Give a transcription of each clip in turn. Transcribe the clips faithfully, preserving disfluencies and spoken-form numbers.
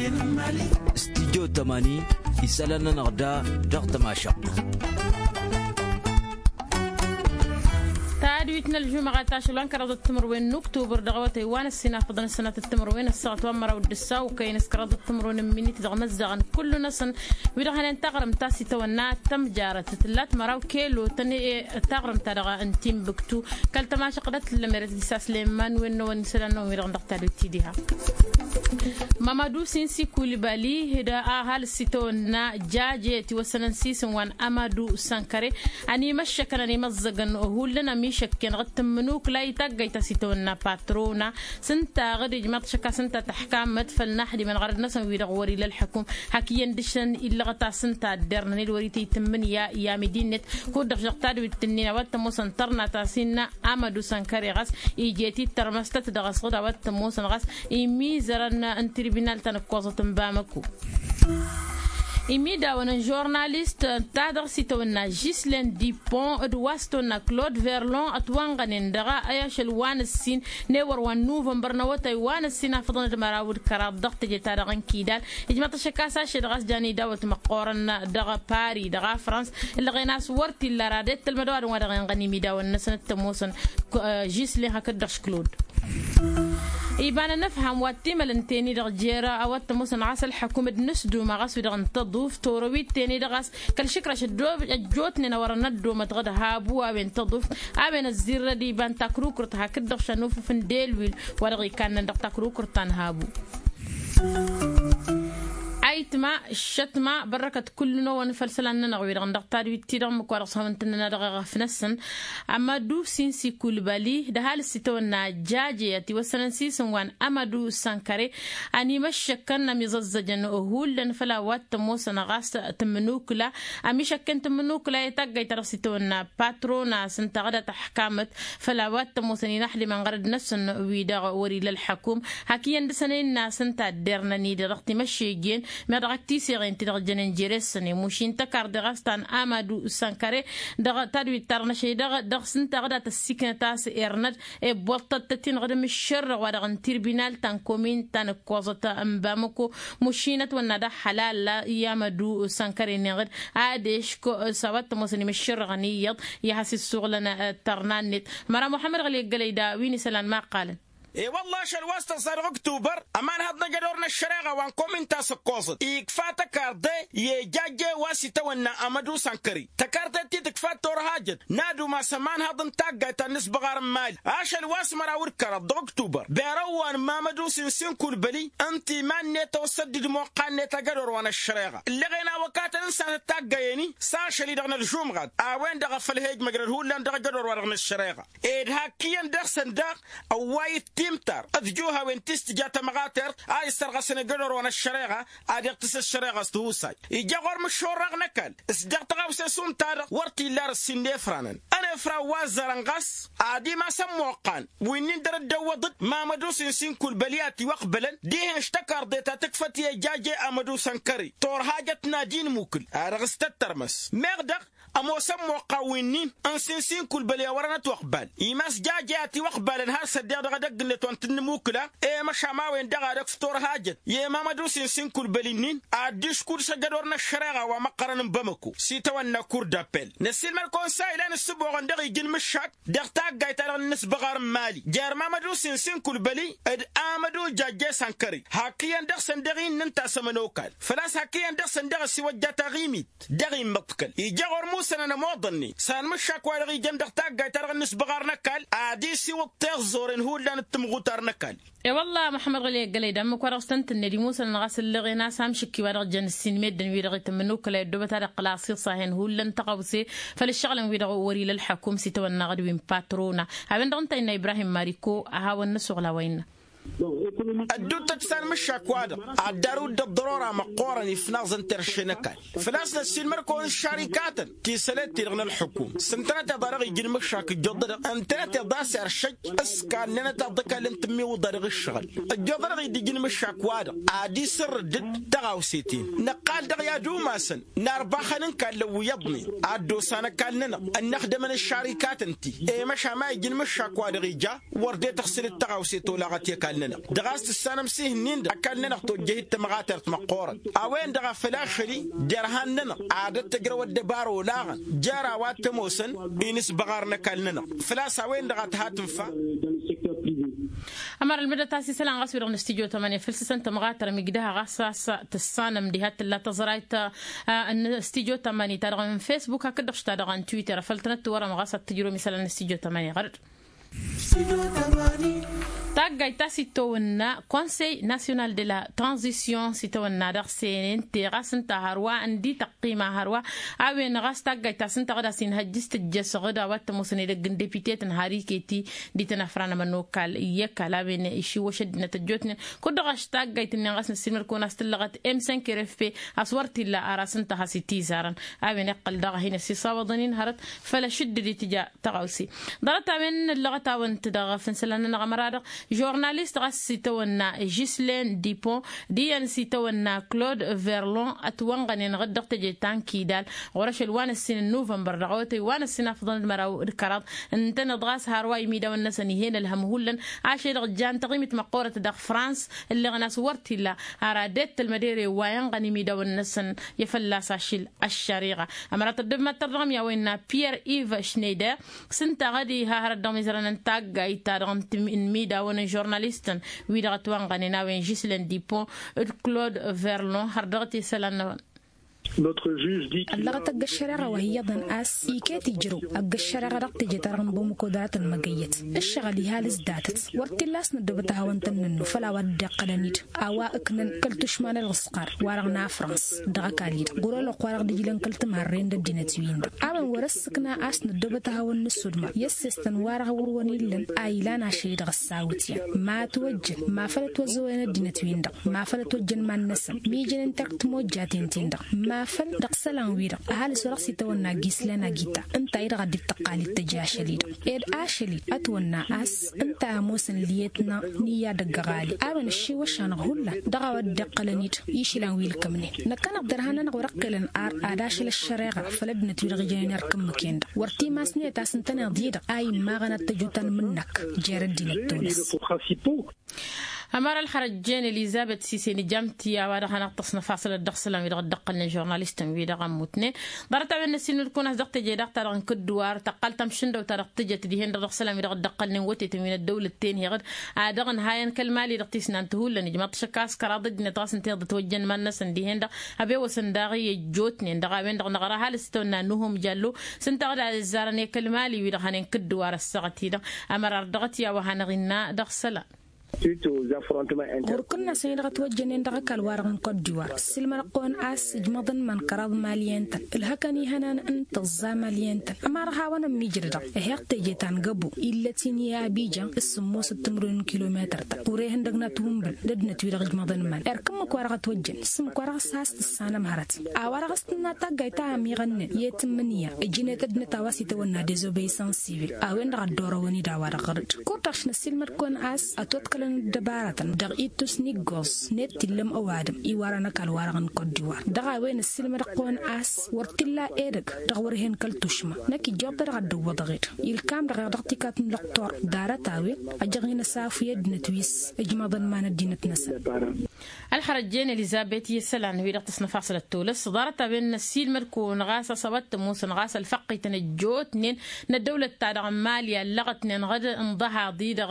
Studyo tămani isălan-nănăɣ da dăɣ-tămašăɣt. Tadwit n-ălžumăɣăt ašăl wa n-kăraḍăt timǝrwen n-uktubăr dăɣ-awătay wa n-ăssinafăḍăn ăssănatăt timǝrwen ăssaɣăt wa n-măraw d-ǝssaw kăyăn s-kăraḍăt timǝrwen n-imǝnit dăɣ-imăzzaɣăn kullu-năsăn wi-dăɣ hănen taɣrǝmt ta s-itawănna tămjarăt tǝllat măraw kelo tăn-e taɣrǝmt-ta-dăɣ n-timbuktu. Kăl-tămašăɣt dăɣ-tǝllăm erăt disa slemman wen-năwăn isălan-năwăn wi-dăɣ dăɣ-tadwit ti diha. Mamadu sinsi kulbali d-ahal s-itawănna jaje tiwăssănăn sisǝn wa n-amadu sankăre. Ănimăššăkăn ănimăẓẓăgăn hullan ămišăkken dăɣ-tǝmmǝnukla i-taggayt ta s-itawănna patrona s-ǝnta ɣǝd ijmaḍ šăkka s-ǝnta tăḥkamăt făll-naḥdimăn ɣărăd-năsăn wi-dăɣ wăr-ila ălḥăkum. Hak iyyăn dăɣ-săn illăɣăt a-s ǝnta ăddernăn-dd wăr-ităy tǝmmǝn i-amidi-net. Kud-dăɣ šăɣ tadwit-ǝnnin a-wa t-ămoosăn tărna ta s-innă amădu sănkăre ɣas ije-t-dd tărmăstăt dăɣ-asɣǝd a-wa t-ămoosăn ɣas imizărăn n-tirbinal ta n-ǝkkoẓăt n-bamăko. Imidawăn n-žurnalist ta dăɣ-s itawănna žislen dipon d-wa s-tawănna klod verlon ătwănɣănen dăɣ-a i-ašăl wa n-ǝssin n-ewăr wa n-nuvănbăr n-awătay wa n-ǝssin afǝḍăn d-măraw d-kăraḍ dăɣ-teje-ta-dăɣ n-kidal. Ijmăḍ-t ašăk a-s ašăl ɣas jan idawăt măqqoorăn dăɣ-pari dăɣ-afrans ǝllăɣen a-s wăr t-illa ara d-ettălmăd ăwadǝm wa dăɣ-inɣăn imidawăn-năsăn t-ămoosăn žislen hakd-dăɣ s-klod. Iba n-anăfham wa t-imăl ǝnta-en-i-dăɣ jer-a wa t-ămoosăn ɣas ălḥăkum d-inǝsduma ɣas wi-dăɣ n-tăḍuft torăwit-ten-i-dăɣ a-s kăl-išǝkraš ăjjootnen a wărăn ăddomăt ɣǝd habu a-wen tăḍuft a-wen ăzzirrăd iba n-takrukurt hakd-dăɣ šan ufǝf n-delwil wa dăɣ-ikannen dăɣ-takrukurt ta n-habu. Ayǝtma ǝššătma bărrăkăt kullu-năwăn făll-isălan-nănăɣ wi-dăɣ n-dăɣ-tadwit-ti-dăɣ ǝmmǝk wa dăɣ-s hawăn-tǝnnăn a dăɣ-eɣăf-năsăn. Amădu sinsi kulbali d-ăhalǝs itawănna jaje ătiwăssănăn sisǝn wa n-amădu sănkăre. Ănimăššăkkăn ămiẓăzzăjăn hullan făll-a-wa t-ămoosăn ɣas tǝmmǝnukǝla ămišăkken tǝmmǝnukǝla i-taggayt ta dăɣ-s itawănna patrona s-ǝnta ɣǝd a tăḥkamăt făll-a-wa t-ămoosăn inaxdimăn ɣărăd-năsăn wi-dăɣ wăr-ila ălḥăkum. Hak iyyăn dăɣ-săn a innă a-s ǝnta ăddernăn-i-dăɣ dăɣ-timăššejjen meɣ dăɣ-ak tisăɣen ti-dăɣ jănen jere-săn i-mušin tăkarḍe ɣas ta n-amadu sănkăre dăɣ-tadwit-ta-dăɣ n-ašăl-i-dăɣ dăɣ-s ǝnta ɣǝd a tăssiiknăt a-s ernăd. Ewwăḍ-tăt-tăt-in ɣǝd mǝššărrăɣ wa-dăɣ n-tirbinal ta n-komin ta n-ǝkkoẓăt n-bamăko. Mušin ătwănna d-ahălal i-amădu sănkăre-nin ɣǝd ad-eško s-a-wa t-ămoosăn imǝššărrăɣăn iyyăḍ i-ad-has-issuɣǝlăn tărna-net. Măra muḥămmăd ɣǝli ăggălăy da wi n-isălan ma ǝqqalăn. E-wălla ašăl wa s-tăẓẓa dăɣ-ǝktubăr ămanhăḍ n-ajădor n-ăššăreɣa wa n-komin ta s-ǝkkoẓăt ikfa tăkarḍe i-ejajje wa s-itawănna amădu sănkări tăkarḍe ti tǝkfa torhajăt n-ad-umas ămanhăḍ n-taggayt ta n-inǝsbăɣar n-imali ašăl wa s-măraw d-kăraḍ dăɣ-ǝktubăr berăwwan mamădu sinsin kulbăli ǝnta iman-net a osăddǝd moqqan-net ajădor wa n-ăššăreɣa ǝllăɣen a wăkatăn n-sanăt taggayen-i s-ašăl-i-dăɣ n-ălžumɣat a-wen-dăɣ a făl he-ijmăjrăd hullan dăɣ-ajădor wa dăɣ-năššăreɣa. Ed hak iyyăn dăɣ-săn daɣ ăwway d-timtar d-juhawen ti s-tǝja tămɣatert a issărɣăsăn ajădor wa n-ăššăreɣa. Ad-iɣtǝs ăššăreɣa s-tihusay ija ɣur-mǝššurrăɣ n-ăkall s-dăɣ tăɣawse šund-ta-dăɣ wăr t-illa ar ǝssin n-efranăn. Ănefran wa ăzzărăn ɣas ad-imasăn moqqan wi-nin dăr-dd-ăwwăḍ-dd mamădu sinsin kulbăli a tiwăqbălăn dihen š-tăkarḍe ta tǝkfăt i-ejaje amădu sănkări turhajăt n-ad-inmukǝl a dăɣ-s tăttărmăs meɣ dăɣ-ămoosăn moqqan wi-nin n-sinsin kulbăli a wărăn ătwăqbal imas jaje a tiwăqbalăn har s-ăddeɣ dăɣ-edăgg-net wa n-tǝnnǝmukǝla. I-măšan a-wen-dăɣ a dăɣ-s turhajăt i-mamădu sinsin kulbăli-nin ad-dd-iškud s-ajădor n-ăššăreɣa wa măqqărăn n-bamăko s-itawănna kur d-appel. Năssiilmăd-kăwăn s-a ilan ǝssǝboɣăn dăɣ-iji n-imǝššak dăɣ-taggayt-ta-dăɣ n-inǝsbăɣar n-imali jer-mamădu sinsin kulbăli d-amădu jajje sănkări hak iyyăn dăɣ-săn dăɣ-i n-ǝnta a-s ămănokal făl-a-s hak iyyăn dăɣ-săn dăɣ-ăsiwăjja taɣimit dăɣ-immăḍkăl ija ɣur-musănăn ămoḍănni s-anmǝššak wa dăɣ-ijăn dăɣ-taggayt-ta-dăɣ n-inǝsbăɣar n-ăkall ad-isiwǝḍ tiẓẓuren hullan d-timɣutar n-ăkall. E-wălla măḥmăd ɣǝli ăggălăy d-ămmǝk wa dăɣ-s tăn-tǝnned imusănăn ɣas ǝllăɣen a-s amšǝkki wa dăɣ-jăn ǝssin meddǝn wi-dăɣ itǝmmǝnukǝlăy ăddoobăt ad-iqqǝl asiṣahen hullan tăɣawse făll-ǝššăɣǝlăn-wi-dăɣ wăr-ila ălḥăkum s-itawănna ɣǝd wi n-patrona. A-wen-dăɣ ǝnta a innă ibrahim mariko a hawăn-năsuɣǝl a-wa innă. Ădduuttăt s-anmǝššak-wa-dăɣ ad-dd-arǝw dd-ăḍḍărora măqqoorăn ifnaẓăn terše n-ăkall făl-a-s năssiilmăd-kăwăn ǝššarikatăn ti sălet-ti-dăɣ n-ălḥukum s-ǝntănăteḍ a dăɣ-iji n-imǝššak ǝjjăḍ-dăɣ ǝntănăteḍ a-s eršăj s-kannănăteḍ d-ăkall n-tǝmmiwǝḍa dăɣ-ǝššăɣǝl ǝjjăḍ-dăɣ-i d-iji n-imǝššak-wa-dăɣ ad-isǝrrǝd-dd tăɣawse-ten năqqal dăɣ-i ad-umasăn n-arbaxăn n-kallăn wi iyyăḍnen ad-dd-osan ăkall-nănăɣ ănnăxdămăn ǝššarikatăn-ti i-măšan ma iji n-imǝššak-wa-dăɣ ija wăr dd-e-tăɣsǝl d-tăɣawse tolaɣăt i-ăkall. ăkall-nănăɣ dăɣ-a-s tǝssanăm s-ihǝnnin-dăɣ ăkall-nănăɣ tojjăhit tămɣatert măqqoorăn. A-wen-dăɣ a făl ašăl-i derhan-nănăɣ ad-ăttăjrăw ăddăbară olaɣăn jer-a-wa t-ămoosăn inǝsbăɣarăn ăkall-nănăɣ. Făl-a-s a-wen-dăɣ a tǝha tǝnfa. Ămăra ălmǝdăt a-s isălan ɣas wi-dăɣ n-studyo tămani făl s-isăn tămɣatăr migdăha ɣas a-s tǝssanăm diha t-tǝlla tăẓrayt n-studyo tămani ta dăɣ-n facebook hakd-dăɣ š-ta dăɣ-n twitter făl tănăt-tiwărăm ɣas ad-tǝjrǝwăm isălan n-studyo tămani ɣăr-dd. Taggayt ta s-itawănna konsey nasyonal de la tranzisyon s-itawănna dăɣ-senen te ɣas ǝnta hărwa ǝndi tăqqima hărwa a-wen ɣas taggayt ta s-ǝnta ɣǝd a-s inhăjjǝs tǝjjăs ɣǝd a-wa t-ămoosăn edăgg n-depitetăn har iketi. Dităn afran ămănokal i-ăkall a-wen išiwwăš ăddinăt ăjjootnen kud-dăɣ a-s taggayt-nin ɣas năssiilmăd-kăwăn a-s tǝllăɣăt m cinq r f p a-s wăr t-illa ara s-ǝnta has-itizarăn. A-wen iqqăl daɣ a hin-ăsiṣawăḍăn-in hărăt făll-ašǝddǝd itǝja tăɣawse. Ḍarăt-a-wen ăllăɣăt-awăn-t dăɣ-fǝnsălan-nănăɣ ămăra-dăɣ žurnalist ɣas s-itawănna žislen dipon d-iyyăn s-itawănna klod verlon ătwănɣănen ɣǝd dăɣ-teje ta n-kidal ɣur-ašăl wa n-ǝssin n-nuvănbăr dăɣ-awătăy wa n-ǝssin afḍăn d-măraw d-kăraḍ. Ǝntăneḍ ɣas har wa imidawăn-năsăn ih'-en ălhăm hullan ašăl-i-dăɣ jan taɣimit măqqoorăt dăɣ-frans ǝlleɣăn a-s wăr t-illa. Ara det tălmădere wa inɣăn imidawăn-năsăn i-fălla-s ašil ăššăriɣa. Ămăra tăddăb mad-tărdăɣăm i-a-wa innă pierre ive šneider s-ǝnta ɣăd iha hărăt dăɣ-mizărăn n-taggayt-ta-dăɣ n-timidawăn n-žurnalistăn wi-dăɣ ătwănɣănen a-wen žislen dipon d-klod verlon har dăɣ-t isălan-năwăn. Ăllăɣăt ăgg-ăššăreɣa wa hi-iyyăḍăn a-s iket ijrăw ăgg-ăššăreɣa dăɣ-teje-ta-dăɣ n-bămăko dăr-a tăn-măgăyyăt ǝššăɣǝl iha lǝzdatăt. Wăr t-illa a-s năddobăt ad-hawăn-tăn-nǝnnu făll-a-wa dd-iqqălăn-dd a-wa ǝknăn kăl-tušma n-ălɣǝsqar wa-dăɣ n-afrans dăɣ-ăkall-i-dăɣ ɣur-ălwăqq wa dăɣ-dd-ǝjlăn kăl-tǝmarre n-ăddinăt-win-dăɣ. A-wen wăr-ăssǝkna a-s năddobăt ad-hawăn-nǝssudma i-ăssestăn wa dăɣ-wăr-wăn illăn a ilan ašăl-i-dăɣ ăssawǝtyan ma ătwăjjăn ma făl ătwăzzăwăyăn ăddinăt-win-dăɣ ma făl ătwăjjăn iman-năsăn mijănen terk timojjaten-ten-dăɣ ma făl dăɣ-isălan-wi-dăɣ ăhalǝs wa dăɣ-s itawănna gislăn agita ǝnta-i-dăɣ a dd-tăqqal d-tăj ašăl-i-dăɣ ed ašăl-i ătwănna a-s ǝnta a ămoosăn liyetna n-iyyadăgg ăɣali a-wen ăššiwăš-anăɣ hullan dăɣ-a-wa dd-iqqălăn-dd išlan wi ǝlkămnen. Năkkăneḍ derhan-nănăɣ wăr-ăqqelăn ar ad-ašăl ăššăreɣa făll-ăddinăt wi-dăɣ ijănen erk ǝmmǝk-en-dăɣ wăr t-imasnet a-s ǝntăneḍ-i-dăɣ a immaɣăn ad-t-ăjutăn mǝnnăk jer-ăddinăt tunes. Ămăra ălxărăjjen elizabet sisen ijam-t i-a-wa-dăɣ hanăɣ-tăsnăfasălăt dăɣ-isălan wi-dăɣ dd-ăqqălnen žurnalistăn wi-dăɣ ămmutnen. Ḍarăt-a-wen n-ăssiilmăd-kăwăn a-s dăɣ-teje daɣ ta-dăɣ n-kǝddǝwar tăqqal tamšǝndăwt ta dăɣ-tǝjăt dihen-dăɣ dăɣ-isălan wi-dăɣ dd-ăqqălnen wătetăn wi n-ăddăwlăt tenheɣ-dd a dăɣ-ănhayăn kăl-mali dăɣ-tisnant hullan ijmaḍ-t šăkk a-s kăraḍ ăddinăt ɣas ǝnta-i-dăɣ ătwăjjăn iman-năsăn dihen-dăɣ ăbewăsăn daɣ i-ăjjootnen dăɣ-a-wen-dăɣ năɣra ăhalǝs s-tăwănna n-uhum jallo s-ǝnta-dăɣ d-a ăzzarăn i-kăl-mali wi-dăɣ hănen kǝddǝwar ăssaɣăt-i-dăɣ. Ămăra ar dăɣ-t i-a-wa hanăɣ-innă dăɣ-isălan. Ɣur-kǝnnas-en-i-dăɣ ătwăjjănen dăɣ-ăkall-wa-dăɣ n-kot diwar ǝssǝlmădăɣ-kăwăn a-s ǝjmăḍăn iman kăraḍ maliyăn-tăn ǝlhăkăn ihănan n-tǝẓẓa maliyăn-tăn ămăra ad-hawăn-ămmiijrădăɣ ăheɣ teje ta n-găbo illăt-in i-abijan s-sǝmmosăt timǝrwen n-kilometăr-ta wăr-e ihăndăgna tiwǝnbǝl d-ăddinăt-wi-dăɣ ǝjmăḍăn iman erk ǝmmǝk-wa-dăɣ ătwăjjăn s-ǝmmǝk-wa-dăɣ s-has tǝssanăm hărăt a-wa-dăɣ a-s tǝnna taggayt ta ămiɣănnen i-tǝmmǝnǝya ǝjnet ăddinăt a-wa s-itawănna dezobeisans sivil a-wen-dăɣ a dd-orăwăn-dd a-wa-dăɣ ɣăr-dd. Kurdăɣ šnăssiilmăd-kăwăn a-s ătwăḍkălăn ăddăbaratăn dăɣ-ittus n-iggoẓ net t-illăm ăwadǝm iwar anăkall-wa-dăɣ n-kot diwar dăɣ-a-wen ăssiilmădăɣ-kăwăn a-s wăr t-illa edăgg dăɣ-wăr hen kăl-tušma. Năkk ijjoḍ-t-dăɣ ad-dd-ǝwwăḍăɣ-dd ilkam-dăɣ-eɣ dăɣ-tikat n-lăqtor. Ḍarăt-a-wen ăjăɣ-in ăsafu i-ăddinăt wi s-ǝjmăḍăn iman ăddinăt-năsăn. Ălxărăjjen elizabet i-isălan wi-dăɣ tăsnăfasălăt tolăs ḍarăt-a-wen n-ăssiilmăd-kăwăn ɣas a-s a-wa t-ămoosăn ɣas ălfăqqităn ăjjootnen n-ăddăwlăt-ta-dăɣ n-mali ăllăɣătnen ɣǝd ǝnḍăhaḍ-i-dăɣ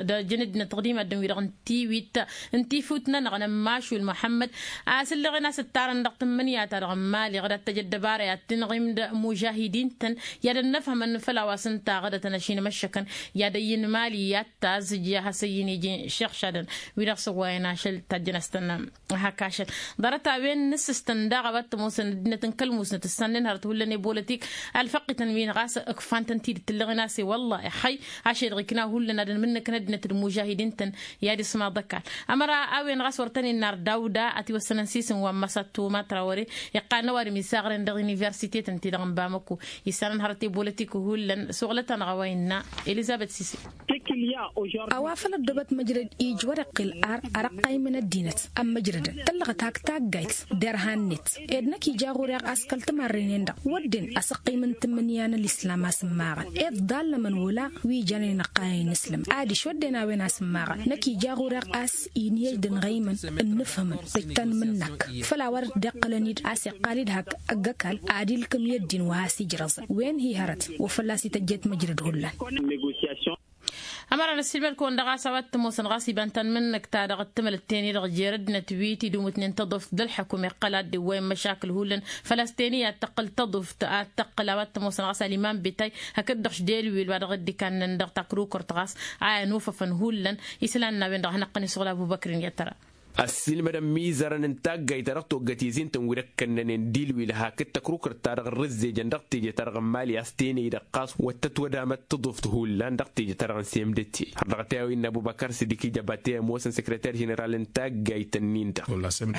d-ăjăn ăddinăt dăɣ-dimadden-wi-dăɣ n-tiwit n-tifut-nănăɣ n-ămmašul muḥămmăd a-s ǝlleɣen a-s ǝttarăn dăɣ-tǝmmǝnǝya-ta-dăɣ n-mali ɣǝd ad-t-ăj ăddăbara i-ad-tǝnɣim d-mužahidin-tăn i-ad-ănnăfhămăn făll-a-wa s-ǝnta ɣǝdătăn ašinămăššăkăn i-ad-ăyyǝn mali i-ad-tazǝj i-ad-has-ăyyǝn iji šăɣšadăn. Wi-dăɣ s-ăwwayăn ašăl tajjăn a-s tăn-hak ašăl. Ḍarăt-a-wen n-asǝstăn daɣ a-wa t-ămoosăn ăddinăt n-kăl-musnăt ǝssannen hărăt hullan i-bolotik ălfăqqităn-win ɣas ǝkfan-tăn tidǝt ǝllăɣen a-s i-wălla ixăy ašăl-i-dăɣ ikna hullan ad-ănmǝnnăkăn ăddinăt d-imužahidin-tăn. I-ad-ismaḍ ăkall ămăra a-wen ɣas wăr tăn-innar dawda ătiwăssănăn s-isǝm wa n-măsattu matrawăre iqqalăn ăwadǝm isaɣren dăɣ-universitetăn-ti-dăɣ n-bamăko. Issanăn hărăt i-bolotik hullan suɣlăt-anăɣ a-wa innă elizabet sise. A-wa făl ăddobăt măjrăd ij wăr-iqqǝl ar arăqqaymăn ăddinăt ămmăjrădăn tăllăɣăt hak taggayt derhan-net. Ed năkk ija ɣur-e ɣas kăl-timarren-en-dăɣ wădden asǝqqim n-tǝmmǝnǝya n-ălislam a-s ǝmmaɣăn ed ḍallămăn wăla wi jănen ăqqayăn inǝslǝm. Adiš wădden a-wen a-s ǝmmaɣăn năkk ija ɣur-e ɣas inhej d-ănɣăymăn ǝnnǝfhǝmăn tǝjtăn mǝnnak făll-a-wa dd-iqqălăn-dd a-s iqqal-dd hak ăgg-ăkall ad-ilkǝm i-ăddin wa has-ijrăẓăn wen hi-hărăt wa fălla-s ităjjet măjrăd hullan. Ămăra n-ăssiilmăd-kăwăn dăɣ-a-s a-wa t-ămoosăn ɣas iba n-tanmǝnnǝkt-ta-dăɣ ǝttǝmălăt teni-dăɣ jer-ăddinăt wi tidǝmutnen tăḍuft d-ălḥăkum iqqăl ad-dd-iwwăyăn măšakǝl hullan. Făl-a-s teni ad-tăqqǝl tăḍuft ad-tăqqǝl a-wa t-ămoosăn ɣas ăliman betay hakd-dăɣ šdelwil wa dăɣ-dd-ikannăn dăɣ-takrukărt ɣas a inufăfăn hullan. Islan n-a-wen-dăɣ a hanăɣ-tăn-isɣul abu băkrin i-ad-tăra. Ăssiilmăd ămmizărăn n-taggayt-ta-dăɣ toggăt izin-tăn wi d-ăkkănnănen dilwil hakd tăkrukărt-ta-dăɣ ărrǝzzejăn dăɣ-teje-ta-dăɣ n-imali a-s tenăy-dăɣ ɣas wăr tătwădamăt tăḍuft hullan dăɣ-teje-ta-dăɣ n-semdete har dăɣ-t a-wa innă ăbubăkăr s-dd-ikǝjăba te ămoosăn săkrăter ženeral n-taggayt-ǝnnin-dăɣ.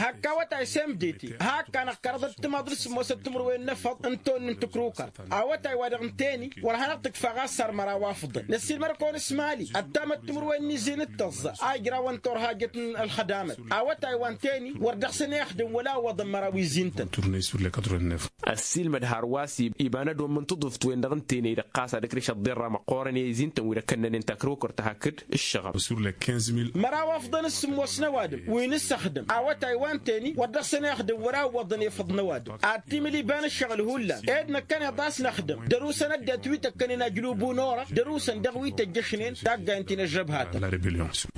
Hak awătay semdete hak-anăɣ kăraḍăt timaḍ d-sǝmmosăt timǝrwen n-efăḍ n-tonni n-tăkrukărt awătay wa dăɣ-n teni wăr hanăɣ-tǝkfa ɣas săr măraw afḍăn năssiilmăd-kăwăn s-imali ăttamăt timǝrwen n-izin d-tăẓẓa a ijrawăn turhajăt n-ălxădamăt. Awătay wa n-teni wăr dăɣ-săn ixdǝm wăla iwwăḍăn măraw izin-tăn. Ăssiilmăd hărwa s-iba n-ădom n-tǝḍuft-wen-dăɣ n-tenăy-dăɣ ɣas ad-ǝkrǝš ăḍḍerra măqqoorăn i-izin-tăn wi d-ăkkănnănen takrukărt hakd ǝššăɣăb. Măraw afḍăn s-sǝmmos n-ăwadǝm wi n-ǝssăxdǝm awătay wa n-teni wăr dăɣ-săn ixdǝm wăla iwwăḍăn efăḍ n-ăwadǝm ad-timǝl iba n-ǝššăɣǝl hullan ed năkkăneḍ a-s năxdǝm dăr-usăn ăddinăt wi tăkkănen ajlubu n-orăɣ dăr-usăn dăɣ-wi tăjjăšnen taggayăn ti n-ăžžăbhatăn.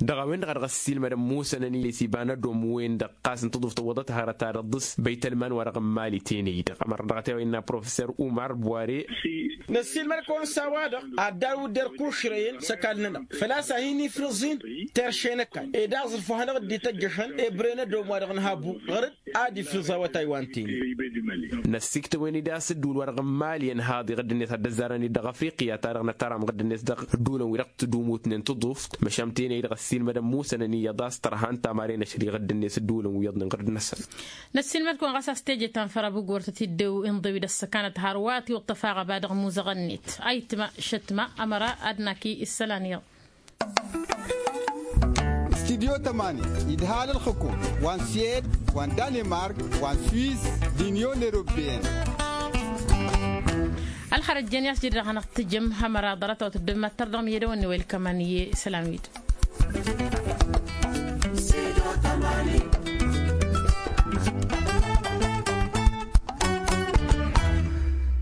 Dăɣ-a-wen-dăɣ a dăɣ-ăssiilmădăn musănăn-i s-iba n-ădom wen-dăɣ ɣas n-tăḍuft ăwwăḍăt hărăt ad-ăḍḍǝs băytălman wa dăɣ-n mali tenăy-dăɣ ămăra dăɣ-t a-wa innă professor umar bware. Năssiilmăd-kăwăn s-a-wa-dăɣ ad-darǝw dd-erkušrăyăn s-ăkall-nănăɣ făl-a-s a hin-ifrǝẓ-in terše n-ăkall ed aẓrǝf wa hanăɣ-dd-ităjjăšăn ebre n-ădom wa dăɣ-nǝha abu ɣăr-dd ad-ifrǝẓ awătay wa n-teni. Năssiktăwen-dd a-s ǝddǝwǝl wa dăɣ-n mali ănhaḍ iɣǝdd-net ad-dd-ăzzarăn-dd dăɣ-afriqya-ta-dăɣ nătăram iɣǝdd-net dăɣ-ăddulăn wi dăɣ-tǝdumutnen tăḍuft măšan tenăy-dăɣ ăssiilmădăn musănăn iyyăḍ a-s tărha n-tamare n-ašăl iɣǝdd-net ăddulăn wi iyyăḍnen ɣǝrǝd-năsăn. Năssiilmăd-kăwăn ɣas a-s teje ta n-făr abu gortăt iddew inḍew-i d-ăssăkanăt hărwa tiwǝḍ tăfaɣăba dăɣ-imuzăɣăn-net ayǝtma šătma ămăra ad-naki isălan iyyăḍ. Studyo tămani idhal ălxǝkum wa n-swed wa n-danemark wa n-swiss d-inyon europeyăn. Ălxărăt jen i-a-s jede dăɣ-hanăɣ-tǝjǝm hămăra ḍarăt-awăt dd-mad-tărdăɣ n-iyyădăwăn-ni wa ilkăman i-isălan-wi-dăɣ.